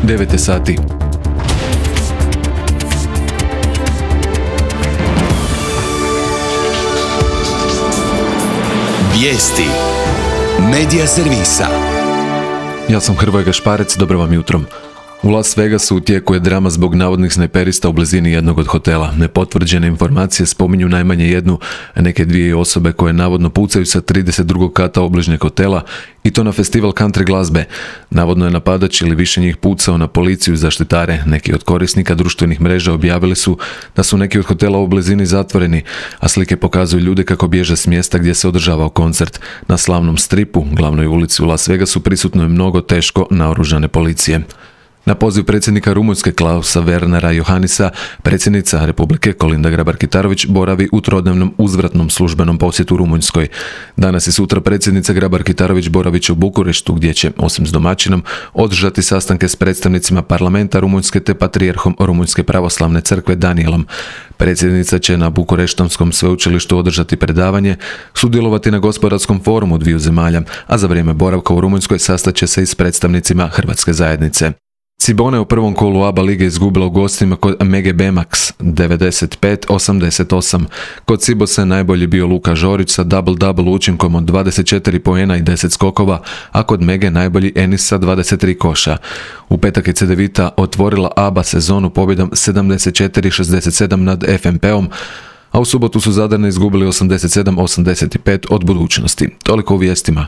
9 je sati. Vijesti Medija servisa. Ja sam Hrvoje Gašparec, dobro vam jutro. U Las Vegasu u tijeku je drama zbog navodnih snajperista u blizini jednog od hotela. Nepotvrđene informacije spominju najmanje jednu, a neke dvije osobe koje navodno pucaju sa 32. kata obližnjeg hotela i to na festival country glazbe. Navodno je napadač ili više njih pucao na policiju i zaštitare. Neki od korisnika društvenih mreža objavili su da su neki od hotela u blizini zatvoreni, a slike pokazuju ljude kako bježe s mjesta gdje se održavao koncert. Na slavnom stripu, glavnoj ulici u Las Vegasu, prisutno je mnogo teško naoružane policije. Na poziv predsjednika Rumunjske Klausa Wernera Johannisa, predsjednica Republike Kolinda Grabar-Kitarović boravi u trodnevnom uzvratnom službenom posjetu Rumunjskoj. Danas i sutra predsjednica Grabar-Kitarović boravit će u Bukureštu, gdje će, osim s domaćinom, održati sastanke s predstavnicima parlamenta Rumunjske te patrijarhom Rumunjske pravoslavne crkve Danijelom. Predsjednica će na Bukureštonskom sveučilištu održati predavanje, sudjelovati na gospodarskom forumu dviju zemalja, a za vrijeme boravka u Rumunjskoj sastaće se i s predstavnicima hrvatske zajednice. Cibona je u prvom kolu ABA lige izgubila u gostima kod Mege Bemax 95-88. Kod Cibosa je najbolji bio Luka Žorić sa double-double učinkom od 24 poena i 10 skokova, a kod Mege najbolji Enis sa 23 koša. U petak je Cedevita otvorila ABA sezonu pobjedom 74-67 nad FNP-om, a u subotu su Zadarne izgubili 87-85 od Budućnosti. Toliko u vijestima.